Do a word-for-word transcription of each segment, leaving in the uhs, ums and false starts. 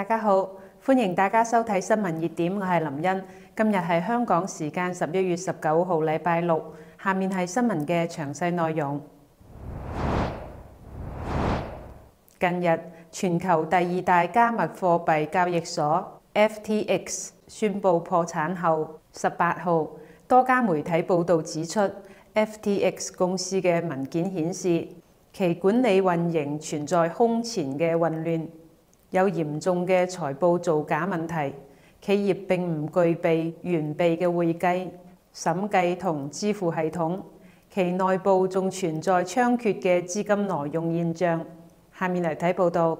大家好，歡迎大家收睇新聞熱點，我係林茵。今日係香港時間十一月十九號，禮拜六。下面係新聞嘅詳細內容。近日，全球第二大加密貨幣交易所 F T X 宣布破產後，十八號多家媒體報導指出 ，F T X 公司嘅文件顯示，其管理運營存在空前嘅混亂，有嚴重嘅財報造假問題，企業並唔具備完備嘅會計、審計同支付系統，其內部仲存在猖獗嘅資金挪用現象。下面嚟睇報道。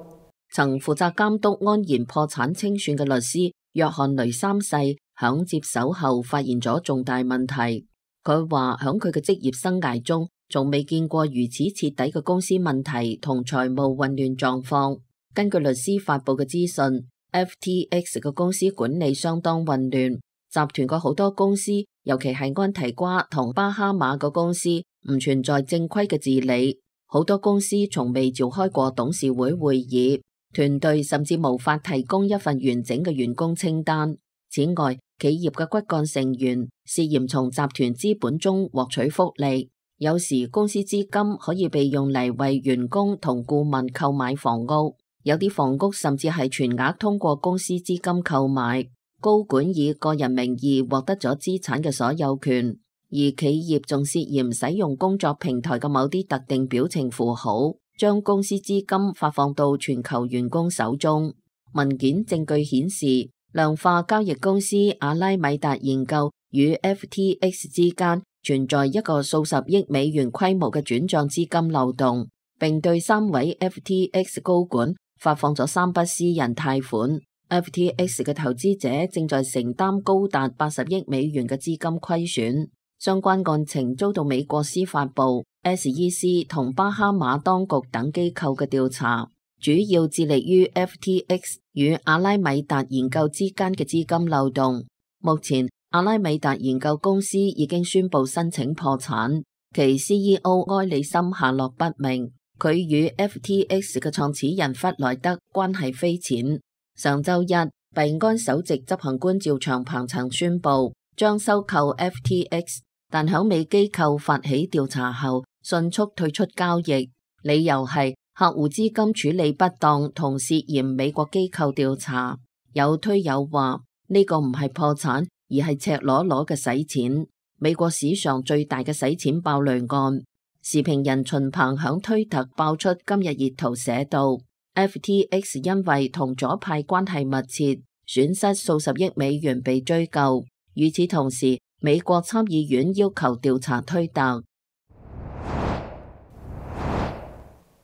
曾負責監督安然破產清算嘅律師約翰雷三世響接手後發現咗重大問題。佢話響佢嘅職業生涯中，仲未見過如此徹底嘅公司問題同財務混亂狀況。根據律師發佈嘅資訊 ，F T X 嘅公司管理相當混亂，集團嘅好多公司，尤其係安提瓜同巴哈馬嘅公司，唔存在正規嘅治理。好多公司從未召開過董事會會議，團隊甚至無法提供一份完整嘅員工清單。此外，企業嘅骨幹成員涉嫌從集團資本中獲取福利，有時公司資金可以被用嚟為員工同顧問購買房屋。有啲房屋甚至係全額通過公司資金購買，高管以個人名義獲得咗資產嘅所有權，而企業仲涉嫌使用工作平台嘅某啲特定表情符號，將公司資金發放到全球員工手中。文件證據顯示，量化交易公司阿拉米達研究與 F T X 之間存在一個數十億美元規模嘅轉賬資金漏洞，並對三位 F T X 高管發放咗三筆私人貸款。F T X 嘅投資者正在承擔高達八十億美元嘅資金虧損。相關案情遭到美國司法部、S E C 同巴哈馬當局等機構嘅調查，主要致力於 F T X 與阿拉米達研究之間嘅資金漏洞。目前，阿拉米達研究公司已經宣布申請破產，其 C E O 埃里森下落不明。佢與 F T X 嘅創始人弗萊德關係匪淺。上週一，幣安首席執行官趙長鵬曾宣布將收購 F T X， 但響美機構發起調查後，迅速退出交易，理由係客戶資金處理不當同涉嫌美國機構調查。有推友話呢個唔係破產，而係赤裸裸嘅洗錢，美國史上最大嘅洗錢爆雷案。時評人秦鵬響推特爆出今日熱圖寫道 F T X 因為同左派關係密切，損失數十億美元被追究。與此同時，美國參議院要求調查推特。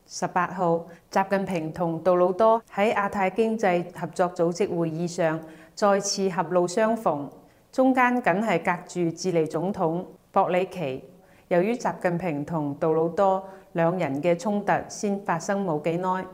十八號，習近平同杜魯多喺亞太經濟合作組織會議上再次狹路相逢，中間僅係隔住智利總統博里奇。由於習近平同杜魯多兩人嘅衝突先發生冇幾耐，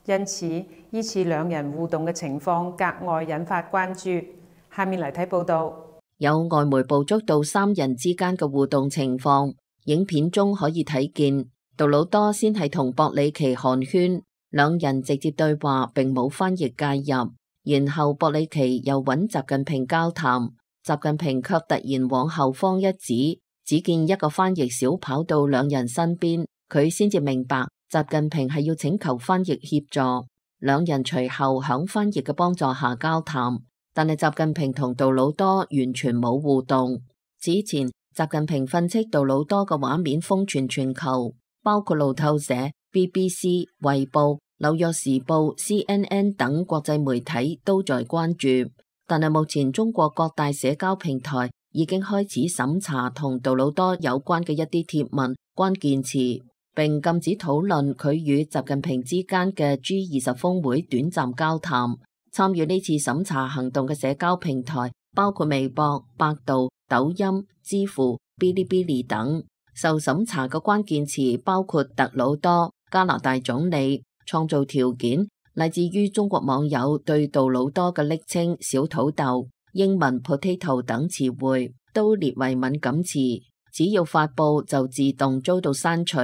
因此呢次兩人互動嘅情況格外引發關注。下面嚟睇報道。有外媒捕捉到三人之間嘅互動情況，影片中可以睇見杜魯多先係同博里奇寒暄，兩人直接對話並冇翻譯介入，然後博里奇又揾習近平交談，習近平卻突然往後方一指，只見一個翻譯小跑到兩人身邊，佢先至明白習近平係要請求翻譯協助。兩人隨後響翻譯嘅幫助下交談，但係習近平同杜魯多完全冇互動。此前，習近平訓斥杜魯多嘅畫面瘋傳全球，包括路透社、B B C、衛報、紐約時報、C N N 等國際媒體都在關注。但係目前中國各大社交平台已經開始審查同杜魯多有關嘅一啲貼文、關鍵詞，並禁止討論佢與習近平之間嘅 G 二十峰會短暫交談。參與呢次審查行動嘅社交平台包括微博、百度、抖音、知乎、嗶哩嗶哩等。受審查嘅關鍵詞包括特魯多、加拿大總理、創造條件，乃至於中國網友對杜魯多嘅昵稱小土豆、英文 potato 等詞彙都列為敏感詞，只要發佈就自動遭到刪除，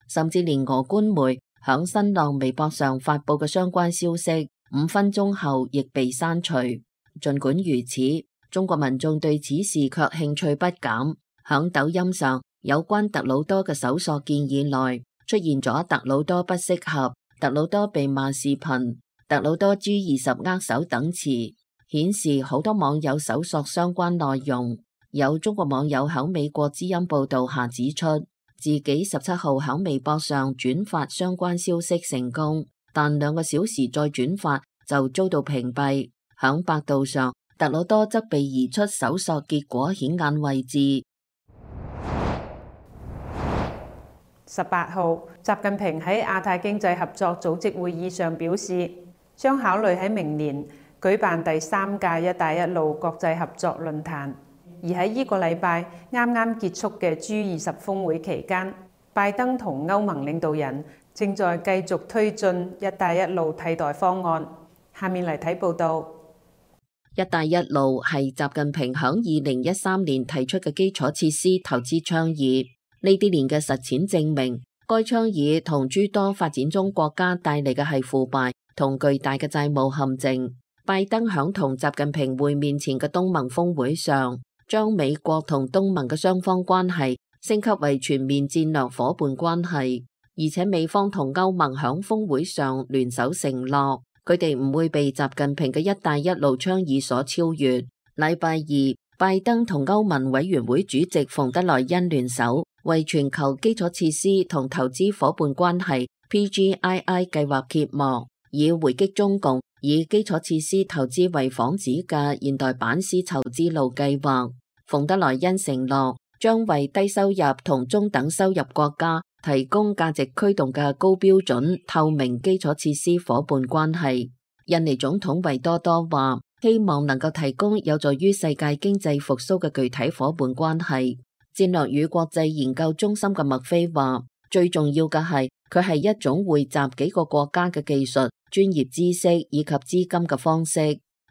甚至連俄官媒響新浪微博上發佈嘅相關消息，五分鐘後亦被刪除。儘管如此，中國民眾對此事卻興趣不減。響抖音上，有關特魯多嘅搜索建議內出現咗特魯多不適合、特魯多被罵視頻、特魯多 G 二十握手等詞，顯示好多網友搜索相關內容。有中國網友響美國之音報道下指出，自己十七號響微博上轉發相關消息成功，但兩個小時再轉發就遭到屏蔽。響百度上，特魯多則被移出搜索結果顯眼位置。十八號，習近平喺亞太經濟合作組織會議上表示，將考慮喺明年舉辦第三屆一帶一路國際合作論壇。而喺呢個禮拜啱啱結束嘅 G 二十峰會期間，拜登同歐盟領導人正在繼續推進一帶一路替代方案。下面嚟睇報道。一帶一路係習近平響二零一三年提出嘅基礎設施投資倡議。呢啲年嘅實踐證明，該倡議同諸多發展中國家帶嚟嘅係腐敗同巨大嘅債務陷阱。拜登響同習近平會面前嘅東盟峰會上，將美國同東盟嘅雙方關係升級為全面戰略夥伴關係，而且美方同歐盟響峰會上聯手承諾，佢哋唔會被習近平嘅一帶一路倡議所超越。禮拜二，拜登同歐盟委員會主席馮德萊恩聯手，為全球基礎設施同投資夥伴關係 P G I I 計劃揭幕，以回擊中共以基礎設施投資為幌子嘅現代版絲綢之路計劃。馮德萊恩承諾將為低收入同中等收入國家提供價值驅動嘅高標準透明基礎設施夥伴關係。印尼總統維多多話，希望能夠提供有助於世界經濟復甦嘅具體夥伴關係。戰略與國際研究中心嘅麥菲話，最重要嘅係佢係一種匯集幾個國家嘅技術、專業知識以及資金嘅方式。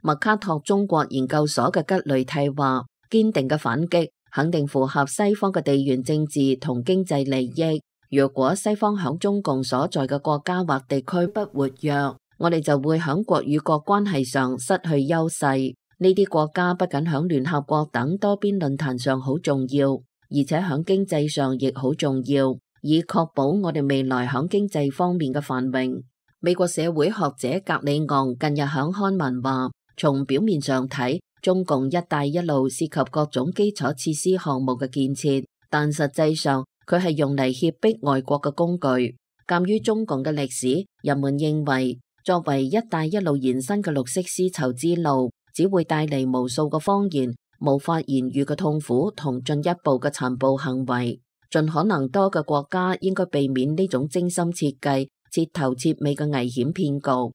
麥卡托中國研究所嘅吉雷蒂話，堅定嘅反擊肯定符合西方嘅地緣政治同經濟利益。如果西方響中共所在嘅國家或地區不活躍，我哋就會響國與國關係上失去優勢。呢啲國家不僅響聯合國等多邊論壇上好重要，而且響經濟上亦好重要，以確保我哋未來響經濟方面嘅繁榮。美國社會學者格里昂近日響刊文話，從表面上睇，中共一帶一路涉及各種基礎設施項目嘅建設，但實際上佢係用嚟脅迫外國嘅工具。鑒於中共嘅歷史，人們認為作為一帶一路延伸嘅綠色絲綢之路，只會帶嚟無數個謊言、無法言喻嘅痛苦同進一步嘅殘暴行為。盡可能多嘅國家應該避免呢種精心設計、徹頭徹尾嘅危險騙局。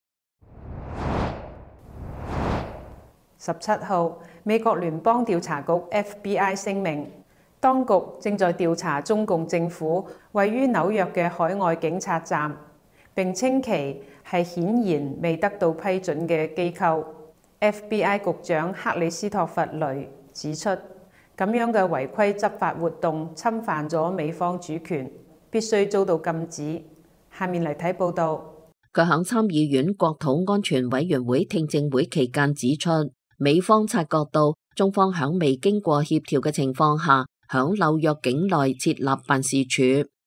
十七號，美國聯邦調查局 F B I 聲明，當局正在調查中共政府位於紐約嘅海外警察站，並稱其係顯然未得到批准嘅機構。F B I 局長克里斯托弗雷指出，咁樣嘅違規執法活動侵犯咗美方主權，必須遭到禁止。下面嚟睇報道。佢響參議院國土安全委員會聽證會期間指出，美方察覺到中方響未經過協調嘅情況下，響紐約境內設立辦事處，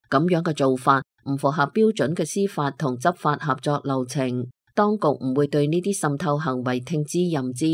咁樣嘅做法唔符合標準嘅司法同執法合作流程。當局唔會對呢啲滲透行為聽之任之。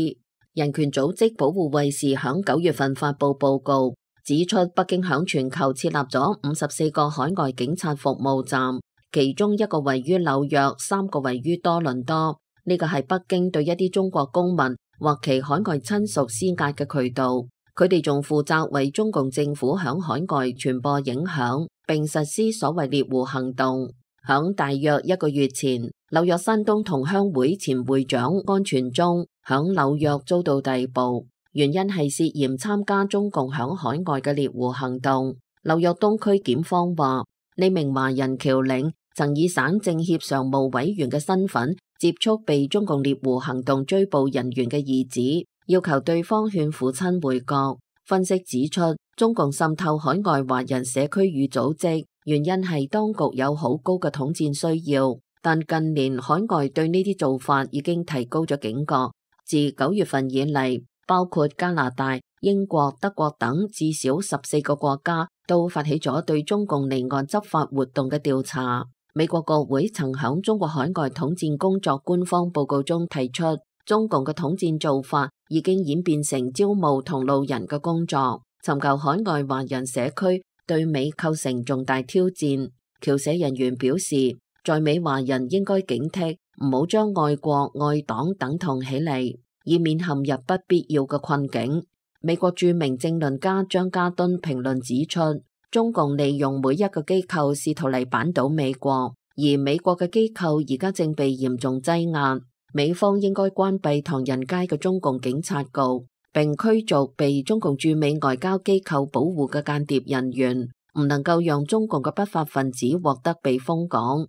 人權組織保護衛士響九月份發佈報告，指出北京響全球設立咗五十四個海外警察服務站，其中一個位於紐約，三個位於多倫多。呢個係北京對一啲中國公民或其海外親屬施壓嘅渠道。佢哋仲負責為中共政府響海外傳播影響，並實施所謂獵狐行動。響大約一個月前，紐約山東同鄉會前會長安全忠響紐約遭到逮捕，原因係涉嫌參加中共響海外嘅獵狐行動。紐約東區檢方話，呢名華人僑領曾以省政協常務委員嘅身份接觸被中共獵狐行動追捕人員嘅兒子，要求對方勸父親回國。分析指出，中共滲透海外華人社區與組織，原因係當局有好高嘅統戰需要，但近年海外對呢啲做法已經提高咗警覺。自九月份以嚟，包括加拿大、英國、德國等至少十四個國家都發起咗對中共離岸執法活動嘅調查。美國國會曾響中國海外統戰工作官方報告中提出，中共嘅統戰做法已經演變成招募同路人嘅工作，尋求海外華人社區對美構成重大挑戰。僑社人員表示，在美華人應該警惕，唔好將愛國愛黨等同起嚟，以免陷入不必要嘅困境。美國著名政論家張家敦評論指出，中共利用每一個機構試圖嚟扳倒美國，而美國嘅機構而家正被嚴重擠壓。美方應該關閉唐人街嘅中共警察局，並驅逐被中共駐美外交機構保護嘅間諜人員，唔能夠讓中共嘅不法分子獲得避風港。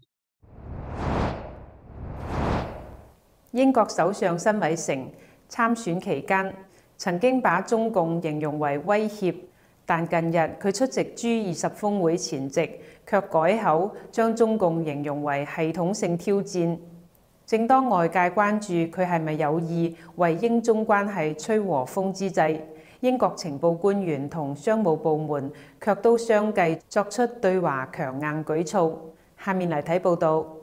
英國首相辛偉誠參選期間曾經把中共形容為威脅，但近日佢出席 G 二十峰會前夕，卻改口將中共形容為系統性挑戰。正當外界關注佢係咪有意為英中關係吹和風之際，英國情報官員同商務部門卻都相繼作出對華強硬舉措。下面嚟睇報導。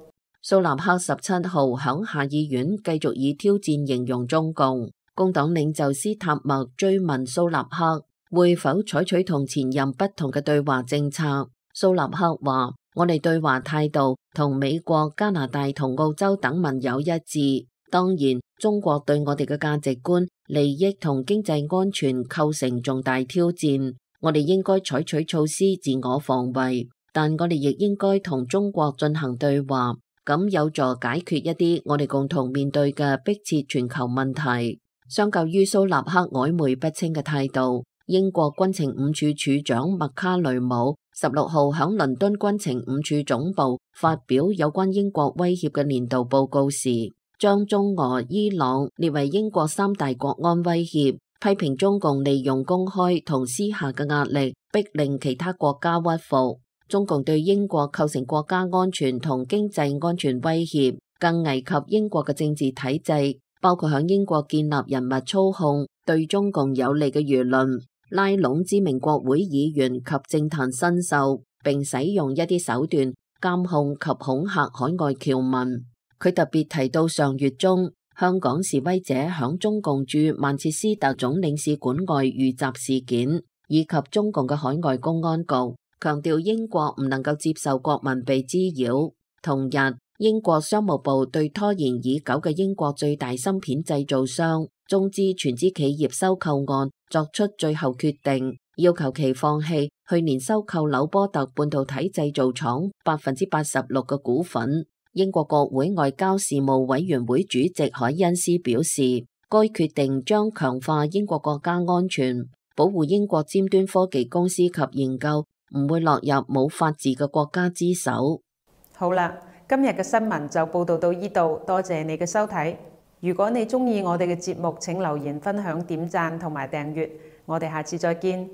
蘇納克十七號響下議院繼續以挑戰形容中共。工黨領袖斯塔默追問蘇納克會否採取同前任不同嘅對華政策。蘇納克話：我哋對華態度同美國、加拿大同澳洲等盟友一致。當然，中國對我哋嘅價值觀、利益同經濟安全構成重大挑戰，我哋應該採取措施自我防衛，但我哋亦應該同中國進行對話。咁有助解決一啲我哋共同面對嘅迫切全球問題。相較於蘇納克曖昧不清嘅態度，英國軍情五處處長麥卡雷姆十六號響倫敦軍情五處總部發表有關英國威脅嘅年度報告時，將中俄伊朗列為英國三大國安威脅，批評中共利用公開同私下嘅壓力，逼令其他國家屈服。中共對英國構成國家安全同經濟安全威脅，更危及英國嘅政治體制，包括響英國建立人物操控對中共有利嘅輿論，拉攏知名國會議員及政壇新秀，並使用一啲手段監控及恐嚇海外僑民。佢特別提到上月中香港示威者響中共駐曼徹斯特總領事館外遇襲事件，以及中共嘅海外公安局，強調英國唔能夠接受國民被滋擾。同日，英國商務部對拖延已久嘅英國最大芯片製造商中資全資企業收購案作出最後決定，要求其放棄去年收購紐波特半導體製造廠百分之八十六嘅股份。英國國會外交事務委員會主席海恩斯表示，該決定將強化英國國家安全，保護英國尖端科技公司及研究唔會落入冇法治嘅國家之手。好啦，今日嘅新聞就報道到呢度，多謝你嘅收睇。如果你鍾意我哋嘅節目，請留言分享、點讚同埋訂閱。我哋下次再見。